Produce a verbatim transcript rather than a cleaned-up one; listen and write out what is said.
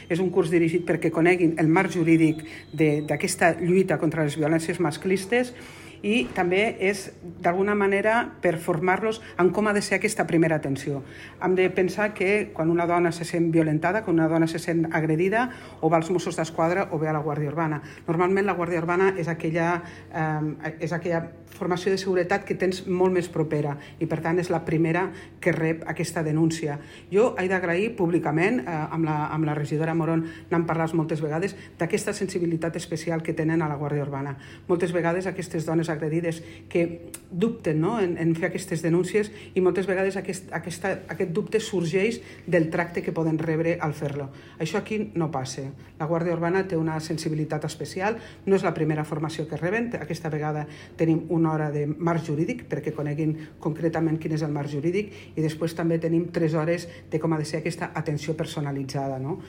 és un curs dirigit perquè coneguin el marc jurídic d'aquesta lluita contra les violències masclistes, i també és, d'alguna manera, per formar-los en com ha de ser aquesta primera atenció. Hem de pensar que quan una dona se sent violentada, quan una dona se sent agredida, o va als Mossos d'Esquadra o ve a la Guàrdia Urbana. Normalment la Guàrdia Urbana és aquella, eh, és aquella formació de seguretat que tens molt més propera i, per tant, és la primera que rep aquesta denúncia. Jo he d'agrair públicament, eh, amb, la, amb la regidora Moron n'hem parlat moltes vegades, d'aquesta sensibilitat especial que tenen a la Guàrdia Urbana. Moltes vegades aquestes dones agredides que dubten, no?, en, en fer aquestes denúncies, i moltes vegades aquest, aquesta, aquest dubte sorgeix del tracte que poden rebre al fer-lo. Això aquí no passa. La Guàrdia Urbana té una sensibilitat especial, no és la primera formació que reben, aquesta vegada tenim una hora de marc jurídic perquè coneguin concretament quin és el marc jurídic, i després també tenim tres hores de com ha de ser aquesta atenció personalitzada, no?